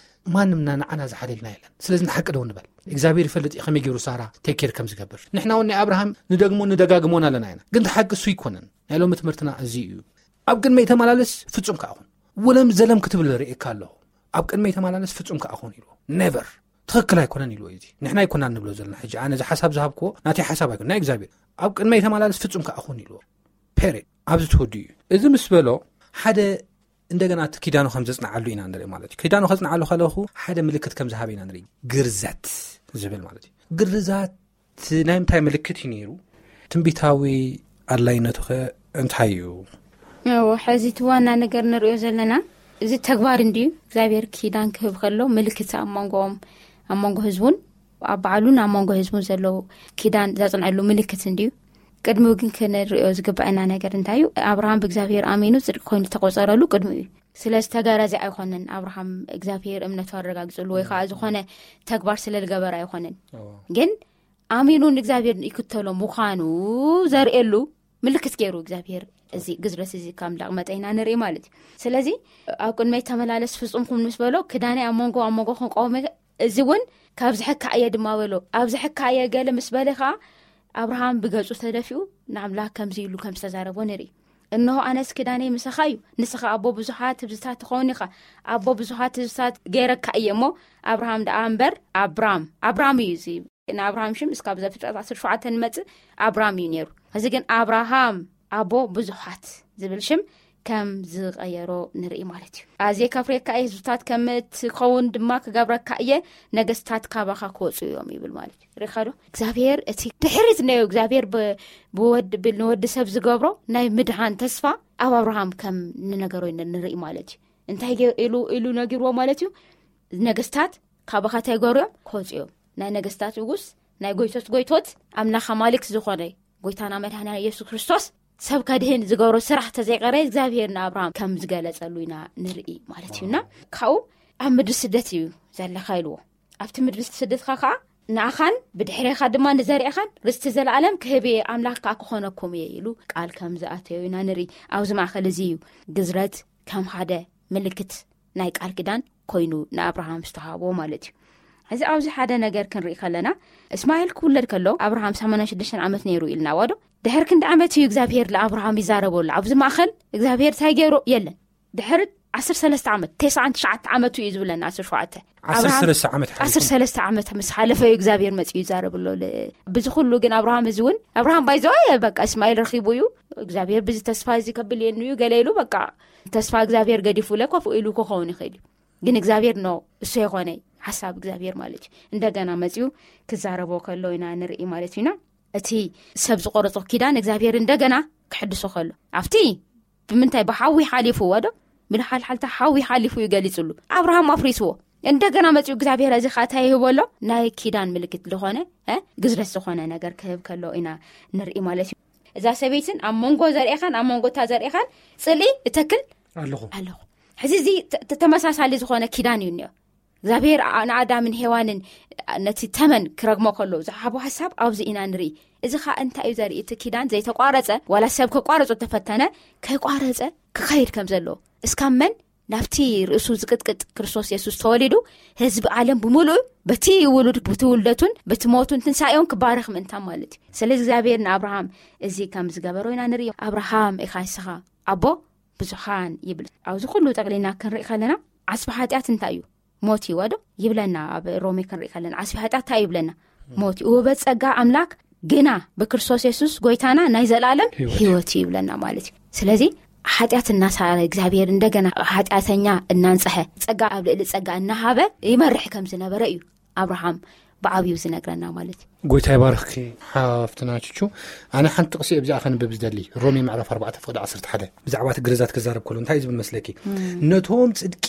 ማንም ና-፣ ንዓና ዝሓልየልና የለን። ስለዚ ንሓቂ ደው ንበል። እግዚኣብሔር ይፈልጥ እዩ ከመይ ገይሩ ሳራ ቴክ ኬር ከም ዝገብር። ንሕና እውን ናይ ኣብርሃም ንደግሞ ንደጋግሞን ኣለና ኢና። ግን እቲ ሓቂ እሱ ይኮነን። ናይ ሎሚ ትምህርትና እዚ እዩ። ኣብ ቅድመይ ተመላለስ ፍጹም ከኣ ኩን። ወለም ዘለም ክትብል ርእየካ ኣለኹ። ኣብ ቅድመይ ተመላለስ ፍጹም ከኣ ኩን ኢሉ። ኔቨር። ትኽክል ኣይኮነን ኢልዎ እዩ። እዚ ንሕና ኣይኮና ንብሎ ዘለና። ሕጂ ኣነ እዚ ሓሳብ ዝሃብክዎ ናተይ ሓሳብ ኣይኮነ፣ ናይ እግዚኣብሔር። ኣብ ቅድመይ ተመላለስ፣ ፍጹም ከኣ ኩን ኢልዎ። ፔሬድ። ኣብዚ ትወዱ እዩ። እዚ ምስ በሎ፣ ሓደ እንደገና እቲ ኪዳኑ ከም ዘጽንዓሉ ኢና ንርኢ ማለት እዩ። ኪዳኑ ከጽንዓሉ ከለኹ ሓደ ምልክት ከም ዝሃበ ኢና ንርኢ። ግርዘት ዝብል ማለት እዩ። ግርዛት ናይ ምንታይ ምልክት እዩ ነይሩ? ትንቢታዊ ኣድላይነቱ ኸ እንታይ እዩ? እዎ፣ ሕዚ እቲ ዋና ነገር ንሪኦ ዘለና እዚ ተግባር እንድዩ። እግዚኣብሔር ኪዳን ክህብ ከሎ ምልክት ኣብ መንጎኦም፣ ኣብ መንጎ ህዝቡን ኣብ ባዕሉን ኣብ መንጎ ህዝቡን ዘለዉ ኪዳን ዘጽንዐሉ ምልክት እንድዩ። ቅድሚኡ ግን ክንሪኦ ዝግባአና ነገር እንታይ እዩ? ኣብርሃም ብእግዚኣብሔር ኣሚኑ ጽድቂ ኮይኑ ዝተቆጸረሉ ቅድሚኡ እዩ። ስለ ዝተገረዘ ኣይኮነን ኣብርሃም እግዚኣብሔር እምነቱ ኣረጋግጽሉ ወይ ከዓ ዝኾነ ተግባር ስለ ዝገበረ ኣይኮነን። ግን ኣሚኑ ንእግዚኣብሔር ይክተሎ ምዃኑ ዘርእየሉ ምልክት ገይሩ እግዚኣብሔር እዚ ግዝረት እዚ ካብ እንዳቕመጠ ኢና ንርኢ ማለት እዩ። ስለዚ ኣብ ቅድመይ ተመላለስ ፍጹም ኩን ምስ በሎ ክዳነይ ኣብ መንጎ ኣብ መንጎ ክንቀውመ እዚ እውን ካብ ዝሕካ እየ ድማ በሎ። ኣብ ዝሕካ እየ ገለ ምስ በለ ከዓ ኣብርሃም ብገጹ ተደፊኡ ንኣምላኽ ከምዚ ኢሉ ከም ዝተዛረቦ ንርኢ። እንሆ ኣነስ ክዳነይ ምሳኻ እዩ፣ ንስኻ ኣቦ ብዙሓት ህዝብታት ትኸውን ኢኻ። ኣቦ ብዙሓት ህዝብታት ገይረካ እየ እሞ ኣብርሃም ደኣ እምበር ኣብራም ኣብራም እዩ እዚ ንኣብርሃም ሽም እስካብ ዘፍጥረት ዓሰርተ ሸውዓተ ንመጽእ ኣብራም እዩ ነይሩ። እዚ ግን ኣብርሃም ኣቦ ብዙሓት ዝብል ሽም ከም ዝቐየሮ ንርኢ ማለት እዩ። ኣዝየ ከፍርየካ እየ፣ ህዝብታት ከም ትኸውን ድማ ክገብረካ እየ፣ ነገስታት ካባኻ ክወፁ እዮም ይብል ማለት እዩ። ሪኻዶ እግዚኣብሔር እቲ ድሕሪት ነዮ እግዚኣብሔር ብወድ ንወዲ ሰብ ዝገብሮ ናይ ምድሃን ተስፋ ኣብ ኣብርሃም ከም ንነገሮ ንርኢ ማለት እዩ። እንታይ ኢሉ ኢሉ ነጊርዎ ማለት እዩ? ነገስታት ካባኻ እንታይ ገሩ እዮም ክወፁ እዮም። ናይ ነገስታት ንጉስ ናይ ጎይቶት ጎይቶት ኣምላኽ ኣማልክት ዝኾነ ጎይታና መድሃና ኢየሱስ ክርስቶስ ሰብ ከድህን ዝገብሮ ስራሕ ተዘይቀረ እግዚኣብሔር ንኣብርሃም ከም ዝገለጸሉ ኢና ንርኢ ማለት እዩና። ካብኡ ኣብ ምድሪ ስደት እዩ ዘለካ ኢልዎ። ኣብቲ ምድሪ ስደትካ ከዓ ንኣኻን ብድሕሬኻ ድማ ንዘርዕኻን ርስቲ ዘለኣለም ክህብ እየ ኣምላኽ ከዓ ክኾነኩም እየ ኢሉ ቃል ከም ዝኣተዮ ኢና ንርኢ። ኣብዚ ማእኸል እዚ እዩ ግዝረት ከም ሓደ ምልክት ናይ ቃል ኪዳን ኮይኑ ንኣብርሃም ዝተሃቦ ማለት እዩ። እዚ ኣብዚ ሓደ ነገር ክንርኢ ከለና እስማኤል ክውለድ ከሎ ኣብርሃም ሰማንያን ሽዱሽተን ዓመት ነይሩ ኢልና ዋዶ ድሕር ክንዲ ዓመት እዩ እግዚኣብሔር ንኣብርሃም ይዛረበሉ። ኣብዚ ማእኸል እግዚኣብሔር እንታይ ገይሩ የለን። ድሕር ዓሰርተ ሰለስተ ዓመት ተስዓን ትሽዓተ ዓመቱ እዩ ዝብለና። ዓሰርተ ሸውዓተ ዓሰርተ ሰለስተ ዓመት ሓሊፉ። ዓሰርተ ሰለስተ ዓመት ምስ ሓለፈ እዩ እግዚኣብሔር መፅኡ ይዛረብሎ። ብዚ ኩሉ ግን ኣብርሃም እዚ እውን ኣብርሃም ባይዘዋ በቃ እስማኤል ረኪቡ እዩ እግዚኣብሔር ብዚ ተስፋ እዚ ከብልየኒ እዩ ገለ ኢሉ በቃ ተስፋ እግዚኣብሔር ገዲፉ ለኮፍ ኢሉ ክኸውን ይኽእል እዩ። ግን እግዚኣብሔር ኖ እሱ የኾነ ሓሳብ እግዚኣብሔር ማለት እዩ። እንደገና መፅኡ ክዛረቦ ከሎ ኢና ንርኢ ማለት እዩና። እቲ ሰብ ዝቆረጾ ኪዳን እግዚኣብሔር እንደገና ክሕድሶ ከሎ ኣብቲ ብምንታይ ብሓዊ ሓሊፍዎ ዶ ብልሓልሓልታ ሓዊ ሓሊፉ እዩ ገሊጹሉ። ኣብርሃም ኣፍሪስዎ። እንደገና መፅኡ እግዚኣብሔር እዚ ኸዓ እንታይ ይህበሎ? ናይ ኪዳን ምልክት ዝኾነ ግዝረት ዝኾነ ነገር ክህብ ከሎ ኢና ንርኢ ማለት እዩ። እዛ ሰበይትን ኣብ መንጎ ዘርእኻን ኣብ መንጎ እታ ዘርእኻን ፅልኢ እተክል ኣለኹ ኣለኹ። ሕዚ እዚ ተመሳሳሊ ዝኾነ ኪዳን እዩ እኒኦ። እግዚኣብሔር ንኣዳምን ሄዋንን ነቲ ተመን ክረግሞ ከሎ ዝሓቦ ሓሳብ ኣብዚ ኢና ንርኢ። እዚ ኸዓ እንታይ እዩ ዘርኢ? እቲ ኪዳን ዘይተቋረፀ ዋላ ሰብ ከቋረፁ ተፈተነ ከይቋረፀ ክኸይድ ከም ዘለዎ እስካብ መን ናብቲ ርእሱ ዝቅጥቅጥ ክርስቶስ የሱስ ተወሊዱ ህዝቢ ዓለም ብምሉእ በቲ ውሉድ ብቲ ውልደቱን በቲ ሞቱን ትንሳኤውን ክባረኽ ምእንታ ማለት እዩ። ስለዚ እግዚኣብሔር ንኣብርሃም እዚ ከም ዝገበሮ ኢና ንርኢ። ኣብርሃም ኢኻ ንስኻ ኣቦ ብዙሓን ይብል። ኣብዚ ኩሉ ጠቅሊና ክንርኢ ከለና ዓስቢ ሓጢኣት እንታይ እዩ? ሞት እዩ ወዶ ይብለና። ኣብ ሮሜ ክንርኢ ከለና ዓስቢ ሓጢኣት እንታይ ይብለና? ሞት እዩ። ውበት ጸጋ ኣምላክ ግና ብክርስቶስ የሱስ ጎይታና ናይ ዘላለም ህይወት እዩ ይብለና ማለት እዩ። ስለዚ ሓጢኣት እናሳረ እግዚኣብሔር እንደገና ሓጢኣተኛ እናንፀሐ ጸጋ ኣብ ልዕሊ ጸጋ እናሃበ ይመርሕ ከም ዝነበረ እዩ ኣብርሃም ብዓብዩ ዝነግረና ማለት እዩ። ጎይታ ይባርኽኪ ሓፍትና ቹቹ። ኣነ ሓንቲ ጥቕሲ እብዚኣ ከንብብ ዝደሊ ሮሜ ምዕራፍ ኣርባዕተ ፍቕዲ ዓሰርተ ሓደ ብዛዕባ እቲ ግርዛት ክዛረብ ከሎ እንታይ እዩ ዝብል መስለኪ? ነቶም ጽድቂ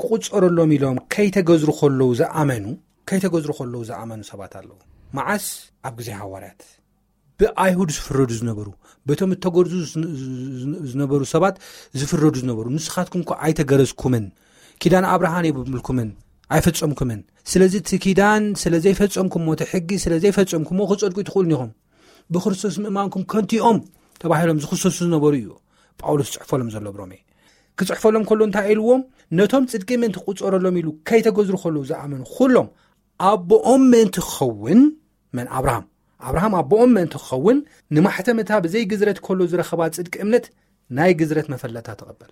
ክቑጸረሎም ኢሎም ከይተገዝሩ ከለዉ ዝኣመኑ ከይተገዝሩ ከለዉ ዝኣመኑ ሰባት ኣለዉ። መዓስ ኣብ ግዜ ሃዋርያት ብኣይሁድ ዝፍረዱ ዝነበሩ በቶም እተገርዙ ዝነበሩ ሰባት ዝፍረዱ ዝነበሩ ንስኻትኩም እኮ ኣይተገረዝኩምን ኪዳን ኣብርሃን የብምልኩምን ኣይፈጸምኩምን። ስለዚ እቲ ኪዳን ስለ ዘይፈጸምኩሞ እቲ ሕጊ ስለ ዘይፈጸምኩሞ ክጸድቁ ትኽእሉን ኢኹም። ብክርስቶስ ምእማንኩም ከንቲኦም ተባሂሎም ዝኽሰሱ ዝነበሩ እዩ ጳውሎስ ጽሕፎሎም ዘሎ ብሮሜ። ክጽሕፈሎም ከሎ እንታይ ኢልዎም? ነቶም ጽድቂ ምእንቲ ክቁጸረሎም ኢሉ ከይተገዝሩ ከለዉ ዝኣመኑ ኩሎም ኣቦኦም ምእንቲ ክኸውን መን ኣብርሃም ኣብርሃም ኣቦኦም ምእንቲ ክኸውን ንማሕተም እታ ብዘይ ግዝረት ከሎ ዝረኸባ ጽድቂ እምነት ናይ ግዝረት መፈለታ ተቐበለ።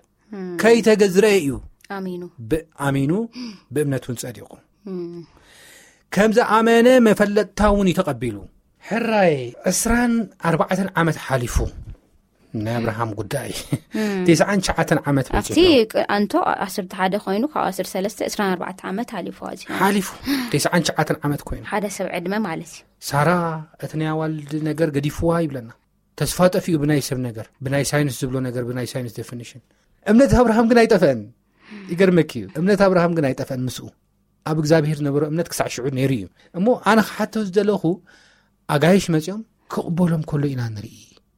ከይተገዝረ እዩ ኣሚኑ ብኣሚኑ ብእምነት እውን ጸዲቑ። ከም ዝኣመነ መፈለጥታ እውን እዩ ተቐቢሉ። ሕራይ ዕስራን ኣርባዕተን ዓመት ሓሊፉ ናይ ኣብርሃም ጉዳይ። ተስዓን ትሽዓተን ዓመት ኣብቲ በጺሑ። ቅ- ኣንቶ ዓሰርተ ሓደ ኮይኑ ካብ ዓሰርተ ሰለስተ ዕስራን ኣርባዕተ ዓመት ሓሊፉ ኣዚ ሓሊፉ። ተስዓን ትሽዓተን ዓመት ኮይኑ። ሓደ ሰብ ዕድመ ማለት እዩ። ሳራ እቲ ናይ ኣዋልድ ነገር ገዲፍዋ ይብለና። ተስፋ ጠፊኡ ብናይ ሰብ ነገር፣ ብናይ ሳይንስ ዝብሎ ነገር፣ ብናይ ሳይንስ ዴፊኒሽን። እምነት ኣብርሃም ግን ኣይጠፍአን። ይገርመኪ እዩ፣ እምነት ኣብርሃም ግን ኣይጠፍአን። ምስኡ ኣብ እግዚኣብሔር ዝነበሮ እምነት ክሳዕ ሽዑ ነይሩ እዩ። እሞ ኣነ ክሓቶ ዝደለኹ፣ ኣጋይሽ መጺኦም ክቕበሎም ከሎ ኢና ንርኢ።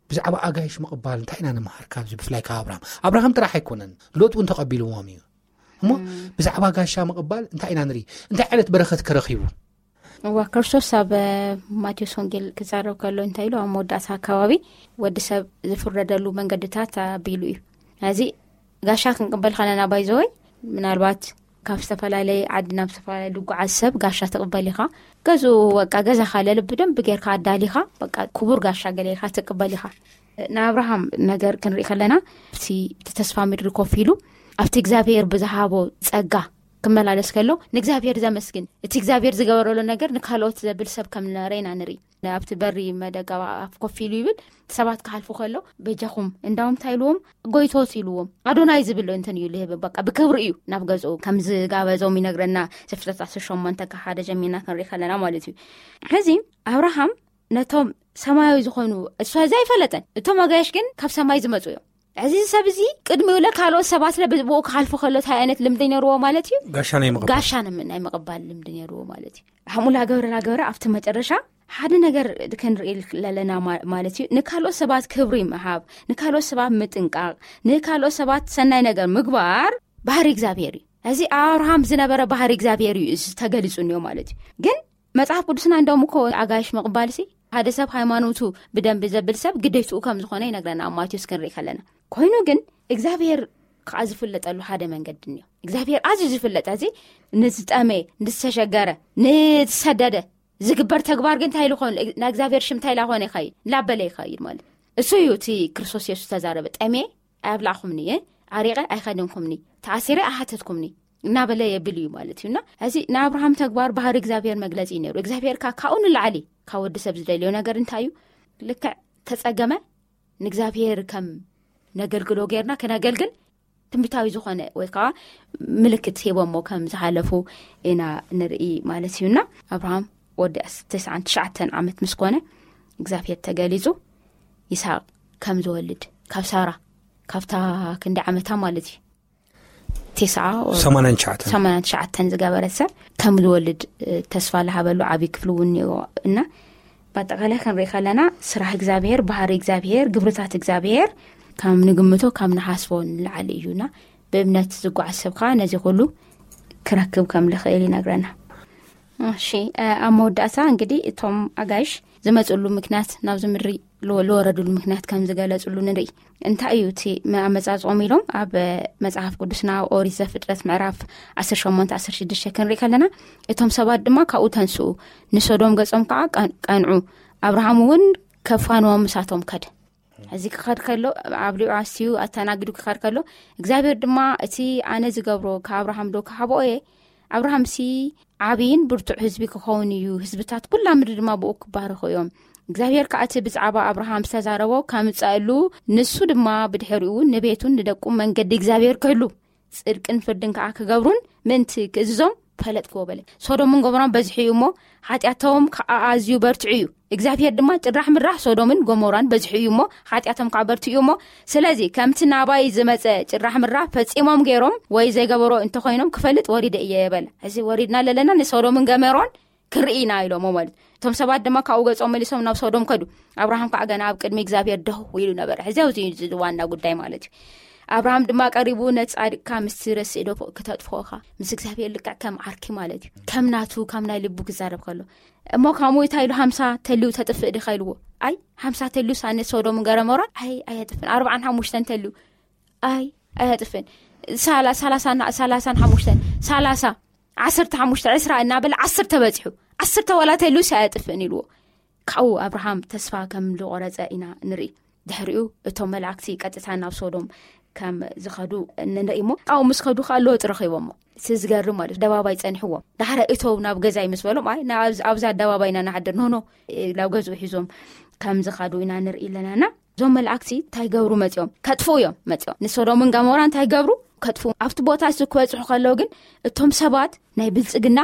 ብዛዕባ ኣጋይሽ ምቕባል እንታይ ኢና ንምሃር ካብዚ? ብፍላይ ካብ ኣብርሃም ኣብርሃም ጥራሕ ኣይኮነን፣ ሎጥ እውን ተቐቢልዎም እዩ። እሞ ብዛዕባ ጋሻ ምቕባል እንታይ ኢና ንርኢ? እንታይ ዓይነት በረኸት ከረኺቡ? እዋ ክርስቶስ ኣብ ማቴዎስ ወንጌል ክዛረብ ከሎ እንታይ ኢሉ? ኣብ መወዳእታ ኣካባቢ ወዲ ሰብ ዝፍረደሉ መንገድታት ኣቢሉ እዩ። እዚ ጋሻ ክንቅበል ከለና ባይዘወይ ምናልባት ካብ ዝተፈላለየ ዓዲ ናብ ዝተፈላለየ ዝጓዓዝ ሰብ ጋሻ ትቕበል ኢኻ። ገዝኡ በቃ ገዛ ካለለ ብደንብ ጌርካ ኣዳሊኻ በቃ ክቡር ጋሻ ገለ ኢልካ ትቅበል ኢኻ። ንኣብርሃም ነገር ክንርኢ ከለና እቲ ተስፋ ምድሪ ኮፍ ኢሉ ኣብቲ እግዚኣብሔር ብዝሃቦ ጸጋ ክመላለስ ከሎ ንእግዚኣብሔር ዘመስግን፣ እቲ እግዚኣብሔር ዝገበረሉ ነገር ንካልኦት ዘብል ሰብ ከም ዝነበረ ኢና ንርኢ። ኣብቲ በሪ መደጋ ኣፍ ኮፍ ኢሉ ይብል። ሰባት ክሓልፉ ከሎ በጃኹም እንዳዎም እንታይ ኢልዎም? ጎይቶት ኢልዎም። ኣዶናይ ዝብል እንትን እዩ ልህብ በቃ ብክብሪ እዩ ናብ ገዝኡ ከም ዝጋበዞም ይነግረና። ዘፍጥረት ዓሰርተ ሸሞንተ ካብ ሓደ ጀሚርና ክንርኢ ከለና ማለት እዩ። ሕዚ ኣብርሃም ነቶም ሰማያዊ ዝኾኑ እሱ እዚ ኣይፈለጠን። እቶም ኣጋይሽ ግን ካብ ሰማይ ዝመፁ እዮም። እዚ ሰብ እዚ ቅድሚ ውለ ካልኦት ሰባት ለ ብኡ ክሓልፉ ከሎ እንታይ ዓይነት ልምዲ ነርዎ ማለት እዩ? ጋሻ ናይ ምቕባል። ጋሻ ንም- ናይ ምቕባል ልምዲ ነርዎ ማለት እዩ። ሃሙላ ገብረ ላገብረ ኣብቲ መጨረሻ ሓደ ነገር ክንርኢ ለለና ማ- ማለት እዩ። ንካልኦት ሰባት ክብሪ ምሃብ፣ ንካልኦት ሰባት ምጥንቃቕ፣ ንካልኦት ሰባት ሰናይ ነገር ምግባር ባህሪ እግዚኣብሔር እዩ። እዚ ኣብርሃም ዝነበረ ባህሪ እግዚኣብሔር እዩ እዚ ተገሊጹ እኒኦ ማለት እዩ። ግን መጽሓፍ ቅዱስና እንደውም እኮ ኣጋይሽ ምቕባል ሲ ሓደ ሰብ ሃይማኖቱ ብደንብ ዘብል ሰብ ግዴትኡ ከም ዝኾነ ይነግረና ኣብ ማቴዎስ ክንርኢ ከለና። ኮይኑ ግን እግዚኣብሔር ከዓ ዝፍለጠሉ ሓደ መንገዲ እኒኦ። እግዚኣብሔር ኣዝዩ ዝፍለጥ እዚ ንዝጠመየ፣ ንዝተሸገረ፣ ንዝሰደደ ዝግበር ተግባር ግን እንታይ ኢሉ ኾን? ናይ እግዚኣብሔር ሽም እንታይ ኢላ ኾነ ይኸይድ? ላበለ ይኸይድ ማለት እሱ እዩ። እቲ ክርስቶስ የሱስ ተዛረበ፣ ጠሜ ኣይብላዕኹምኒ፣ ኣሪቐ ኣይኸደንኩምኒ፣ ተኣሲረ ኣይሓተትኩምኒ እናበለ የብል እዩ ማለት እዩና። እዚ ናይ ኣብርሃም ተግባር ባህሪ እግዚኣብሔር መግለጺ እዩ ነይሩ። እግዚኣብሔር ካ ካብኡ ንላዕሊ ካብ ወዲ ሰብ ዝደልዮ ነገር እንታይ እዩ? ልክዕ ተጸገመ ንእግዚኣብሔር ከም ነገልግሎ ጌርና ከነገልግል ትንቢታዊ ዝኾነ ወይ ከዓ ምልክት ሂቦሞ ከም ዝሓለፉ ኢና ንርኢ ማለት እዩና። ኣብርሃም ወዲ ተስዓን ትሽዓተን ዓመት ምስ ኮነ እግዚኣብሔር ተገሊጹ ይስሐቅ ከም ዝወልድ ካብ ሳራ ካብታ ክንዲ ዓመታ ማለት እዩ ተስዓ ሰማንያን ትሽዓተን ሰማንያን ትሽዓተን ዝገበረት ሰብ ከም ዝወልድ ተስፋ ዝሃበሉ ዓብዪ ክፍሊ እውን እኒኦ እና በኣጠቃላይ ክንርኢ ከለና ስራሕ እግዚኣብሔር ባህሪ እግዚኣብሔር ግብርታት እግዚኣብሔር ካብ ንግምቶ ካብ ንሓስቦ ንላዕሊ እዩና ብእምነት ዝጓዓዝ ሰብ ከዓ ነዚ ኩሉ ክረክብ ከም ዝኽእል ይነግረና። እሺ ኣብ መወዳእታ እንግዲህ እቶም ኣጋይሽ ዝመፅሉ ምክንያት ናብዚ ምድሪ ዝወረድሉ ምክንያት ከም ዝገለፅሉ ንርኢ። እንታይ እዩ እቲ ኣመፃፅኦም ኢሎም ኣብ መፅሓፍ ቅዱስና ኦሪት ዘፍጥረት ምዕራፍ ዓሰርተ ሸሞንተ ዓሰርተ ሽዱሽተ ክንርኢ ከለና እቶም ሰባት ድማ ካብኡ ተንስኡ ንሶዶም ገፆም ከዓ ቀንዑ ኣብርሃም እውን ከፋንዎም ምሳቶም ከደ። እዚ ክኸድ ከሎ ኣብሊዑ ኣስትዩ ኣተናጊዱ ክኸድ ከሎ እግዚኣብሔር ድማ እቲ ኣነ ዝገብሮ ከኣብርሃም ዶ ክሃብኦ እየ ኣብርሃምሲ ዓብይን ብርቱዕ ህዝቢ ክኸውን እዩ ህዝብታት ኩላ ምድሪ ድማ ብኡ ክባረኹ እዮም እግዚኣብሔር ከዓ እቲ ብዛዕባ ኣብርሃም ዝተዛረቦ ከምፀእሉ ንሱ ድማ ብድሕሪኡ ንቤቱን ንደቁ መንገዲ እግዚኣብሔር ክህሉ ፅድቅን ፍርድን ከዓ ክገብሩን ምእንቲ ክእዝዞም ፈለጥክዎ በለ። ሶዶምን ጎሞራን በዝሑ እዩ እሞ ሓጢኣቶም ከዓ ኣዝዩ በርትዑ እዩ እግዚኣብሔር ድማ ጭራሕ ምራሕ ሶዶምን ጎሞራን በዝሑ እዩ እሞ ሓጢኣቶም ከዓ በርትዑ እዩ እሞ ስለዚ ከምቲ ናባይ ዝመፀ ጭራሕ ምራሕ ፈፂሞም ገይሮም ወይ ዘይገበሮ እንተኮይኖም ክፈልጥ ወሪደ እየ በለ። እዚ ወሪድና ለለና ንሶዶምን ገመሮን ክንርኢ ኢና ኢሎሞ ማለት እቶም ሰባት ድማ ካብኡ ገጾም መሊሶም ናብ ሶዶም ከዱ። ኣብርሃም ከዓ ገና ኣብ ቅድሚ እግዚኣብሔር ደው ኢሉ ነበረ ሕዚ ኣብዚ ዋና ጉዳይ ማለት እዩ። ኣብርሃም ድማ ቀሪቡ ነጻድቅካ ምስቲ ረስእ ዶ ክተጥፍኦኻ ምስ እግዚኣብሔር ልክዕ ከም ዓርኪ ማለት እዩ ከም ናቱ ካብ ናይ ልቡ ክዛረብ ከሎ እሞ ከምኡ እንታይ ኢሉ ሓምሳ ተልዩ ተጥፍእ ዲኻ ኢልዎ። ኣይ ሓምሳ ተልዩ ሳነ ሶዶም ገረመራ ኣይ ኣየጥፍን ኣርባዓን ሓሙሽተን ተልዩ ኣይ ኣየጥፍን ሳላ- ሳላሳ እና- ሳላሳን ሓሙሽተን ሳላሳ ዓሰርተ ሓሙሽተ ዕስራ እናበለ ዓሰርተ በፂሑ ዓሰርተ ዋላ ተልዩ ኣየጥፍእን ኢልዎ። ካብኡ ኣብርሃም ተስፋ ከም ዝቆረፀ ኢና ንርኢ። ድሕሪኡ እቶም መላእክቲ ቀጥታ ናብ ሶዶም ከም ዝኸዱ ንርኢ እሞ፣ ኣብኡ ምስ ከዱ ከዓ ሎጥ ረኺቦሞ። እቲ ዝገርም ማለት፣ ኣደባባይ ጸኒሕዎም። ዳሕረ እተው ናብ ገዛይ ምስ በሎም፣ ኣይ፣ ና-፣ ኣብዚ፣ ኣብዚ ኣደባባይ ኢና ንሓድር፣ ኖ፣ ኖ፣ ናብ ገዝኡ ሒዞም ከም ዝኸዱ ኢና ንርኢ ኣለናና። እዞም መላእክቲ እንታይ ገብሩ መጺኦም? ከጥፍኡ እዮም መጺኦም። ንሶዶምን ገሞራን እንታይ ገብሩ? ከጥፍኡ። ኣብቲ ቦታ እዚ ክበጽሑ ከለዉ ግን፣ እቶም ሰባት ናይ ብልጽግና፣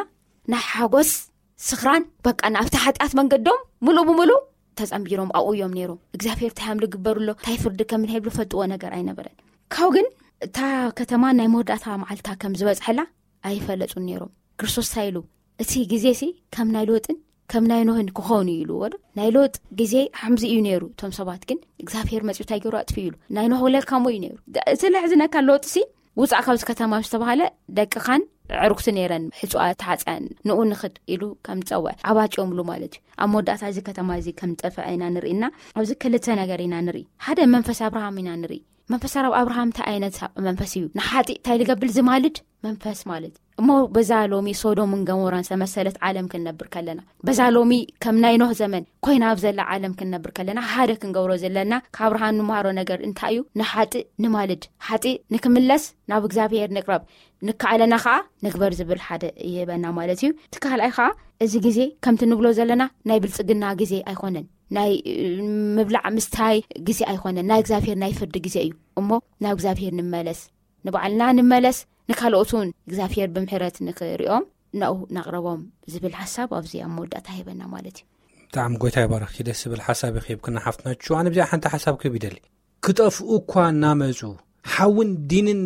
ናይ ሓጎስ፣ ስኽራን፣ በቃ ናብቲ ሓጢኣት መንገዶም ምሉእ ብምሉእ ተጸንቢሮም ኣብኡ እዮም ነይሮም። እግዚኣብሔር እንታይ ሃምሉ ግበሩ ኣሎ፣ እንታይ ፍርዲ ከም ንሄብሉ ፈልጥዎ ነገር ኣይነበረን። ካብኡ ግን እታ ከተማ ናይ መወዳእታ መዓልታ ከም ዝበጽሐላ ኣይፈለጡን ነይሮም። ክርስቶስ እንታይ ኢሉ? እቲ ግዜሲ ከም ናይ ሎጥን ከም ናይ ኖህን ክኸውን እዩ ኢልዎ ዶ? ናይ ሎጥ ግዜ ሓምዚ እዩ ነይሩ። እቶም ሰባት ግን እግዚኣብሔር መጺኡ እንታይ ገይሩ? ኣጥፍኡ ኢሉ። ናይ ኖህ ውለድ ከምኡ እዩ ነይሩ። ደ-፣ እቲ ለሕዝነካ ሎጥሲ ውጻእ ካብዚ ከተማ ዝተባሃለ ደቅኻን ዕሩክቲ ነይረን ሕጹኣ ተሓጽያን ንኡ ንኽድ ኢሉ ከም ዝጸውዐ ኣባጭዮምሉ ማለት እዩ። ኣብ መወዳእታ እዚ ከተማ እዚ ከም ዝጠፍዐ ኢና ንርኢና። ኣብዚ ክልተ ነገር ኢና ንርኢ። ሓደ መንፈስ ኣብርሃም ኢና ንርኢ። መንፈስ ኣብ ኣብርሃም እንታይ ዓይነት መንፈስ እዩ? ንሓጢእ እንታይ ልገብር ዝማልድ መንፈስ ማለት እዩ። እሞ በዛ ሎሚ ሶዶምን ገሞራን ዝተመሰለት ዓለም ክንነብር ከለና፣ በዛ ሎሚ ከም ናይ ኖህ ዘመን ኮይና ኣብ ዘላ ዓለም ክንነብር ከለና፣ ሓደ ክንገብሮ ዘለና ካብ ኣብርሃም ንመሃሮ ነገር እንታይ እዩ? ንሓጢእ ንማልድ፣ ሓጢእ ንክምለስ ናብ እግዚኣብሔር ንቅረብ፣ ንከኣለና ከዓ ንግበር ዝብል ሓደ ይህበና ማለት እዩ። እቲ ካልኣይ ከዓ እዚ ግዜ ከምቲ ንብሎ ዘለና ናይ ብልጽግና ግዜ ኣይኮነን፣ ናይ፣ እ፣ ምብላዕ ምስታይ ግዜ ኣይኮነን፣ ናይ እግዚኣብሔር ናይ ፍርዲ ግዜ እዩ። እሞ ናብ እግዚኣብሔር ንመለስ፣ ንባዕልና ንመለስ፣ ንካልኦት እውን እግዚኣብሔር ብምሕረት ንክሪኦም ናኡ ናቕረቦም ዝብል ሓሳብ ኣብዚ ኣብ መወዳእታ ይህበና ማለት እዩ። ብጣዕሚ ጎይታ ይባረኽኪ። ደስ ዝብል ሓሳብ እዩ ክህብክና ሓፍትና ቹ። ኣነ ብዚኣ ሓንቲ ሓሳብ ክህብ ይደሊ። ክጠፍኡ እኳ እናመፁ፣ ሓውን ዲንን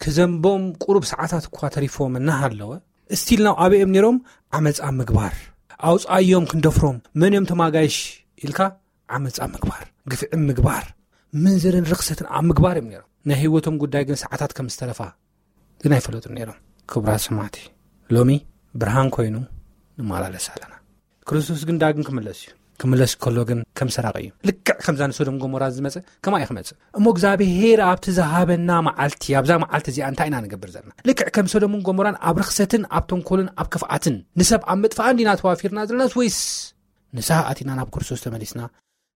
ክዘንቦም ቁሩብ ሰዓታት እኳ ተሪፎም እናሃለወ፣ እስቲል ናብ ኣበይ እዮም ነይሮም? ዓመፃ ምግባር። ኣውፃዮም ክንደፍሮም፣ መን እዮም ተማጋይሽ ኢልካ ዓመፃ ምግባር፣ ግፍዒ ምግባር፣ ምንዝርን ርኽሰትን ኣብ ምግባር እዮም ነይሮም። ናይ ህይወቶም ጉዳይ ግን ሰዓታት ከም ዝተረፋ ግን ኣይፈለጡን ነይሮም። ክቡራት ሰማዕቲ፣ ሎሚ ብርሃን ኮይኑ ንመላለስ ኣለና። ክርስቶስ ግን ዳግም ክምለስ እዩ። ክምለስ ከሎ ግን ከም ሰራቂ እዩ። ልክዕ ከምዛ ንሶዶም ጎሞራ ዝመጸ ከማ እዩ ክመጽእ። እሞ እግዚኣብሔር ኣብቲ ዝሃበና መዓልቲ፣ ኣብዛ መዓልቲ እዚኣ እንታይ ኢና ንገብር ዘለና? ልክዕ ከም ሶዶምን ጎሞራን ኣብ ርኽሰትን ኣብ ተንኮልን ኣብ ክፍኣትን ንሰብ ኣብ ምጥፋእን ዲና ተዋፊርና ዘለናስ፣ ወይስ ንስሓ ኣቲና ናብ ክርስቶስ ተመሊስና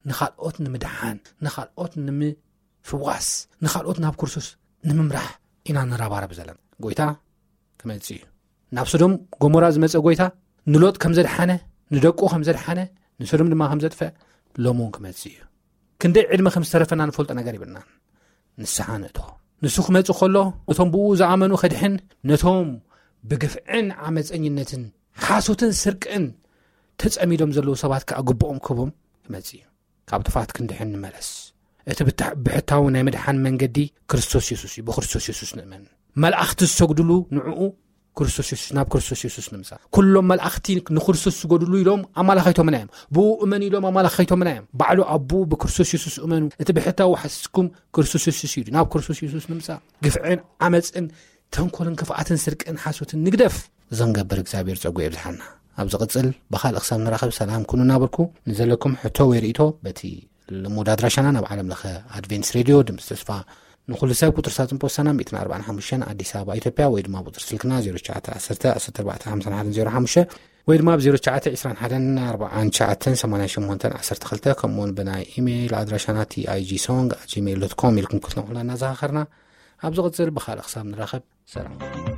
ንኻልኦት ንምድሓን፣ ንኻልኦት ንምፍዋስ፣ ንኻልኦት ናብ ክርስቶስ ንምምራሕ ኢና ንረባረብ ዘለና? ጎይታ ክመጽእ እዩ። ናብ ሶዶም ጎሞራ ዝመጸ ጎይታ ንሎጥ ከም ዘድሓነ፣ ንደቁ ከም ዘድሓነ፣ ንሶዶም ድማ ከም ዘጥፍእ ሎሚ እውን ክመጽእ እዩ። ክንደይ ዕድመ ከም ዝተረፈና ንፈልጦ ነገር የብልናን። ንስሓ ንእቶ። ንሱ ክመጽእ ከሎ ነቶም ብኡ ዝኣመኑ ከድሕን፣ ነቶም ብግፍዕን ዓመፀኝነትን ሓሶትን ስርቅን ተጸሚዶም ዘለዉ ሰባት ከኣ ግብኦም ክህቦም ክመጽእ እዩ። ካብ ጥፍኣት ክንድሕን ንመለስ። እቲ ብታ-፣ ብሕታዊ ናይ ምድሓን መንገዲ ክርስቶስ የሱስ እዩ። ብክርስቶስ የሱስ ንእመን። መላእኽቲ ዝሰግድሉ ንዕኡ ክርስቶስ የሱስ፣ ናብ ክርስቶስ የሱስ ንምጻእ። ኩሎም መላእኽቲ ንክርስቶስ ዝሰግድሉ ኢሎም ኣማላኻይቶምና እዮም። ብኡ እመን ኢሎም ኣማላኻይቶምና እዮም። ባዕሉ ኣቦኡ ብክርስቶስ የሱስ እመኑ። እቲ ብሕታዊ ሓሲስኩም ክርስቶስ የሱስ እዩ። ናብ ክርስቶስ የሱስ ንምጻእ። ግፍዕን ዓመፅን ተንኮልን ክፍኣትን ስርቅን ሓሶትን ንግደፍ። ዘንገብር እግዚኣብሔር ጸጉ የብዝሓልና። ኣብ ዝቕጽል ብኻልእ ክሳብ ንራኸብ ሰላም ኩኑ እናበልኩ፣ ንዘለኩም ሕቶ ወይ ርእይቶ በቲ ልሙድ ኣድራሻና ናብ ዓለም ለኸ ኣድቬንትስ ሬድዮ ድምፂ ተስፋ ንኹሉ ሰብ፣ ቁፅሪ ሳጥን ፖስታና ሚእትን ኣርባዓን ሓሙሽተን ኣዲስ ኣበባ ኢትዮጵያ፣ ወይ ድማ ቁፅሪ ስልክና ዜሮ ትሽዓተ ዓሰርተ ዓሰርተ ኣርባዕተ ሓምሳን ሓደን ዜሮ ሓሙሽተ ወይ ድማ ብ ዜሮ ትሽዓተ ዕስራን ሓደን ኣርባዓን ትሽዓተን ሰማንያን ሸሞንተን ዓሰርተ ክልተ፣ ከምኡውን ብናይ ኢሜይል ኣድራሻና ቲ ኣይ ጂ ሶንግ ኣት ጂሜይል ዶት ኮም ኢልኩም ክትነቑሑና እናዘኻኸርና፣ ኣብ ዝቕጽል ብኻልእ ክሳብ ንራኸብ ሰላም።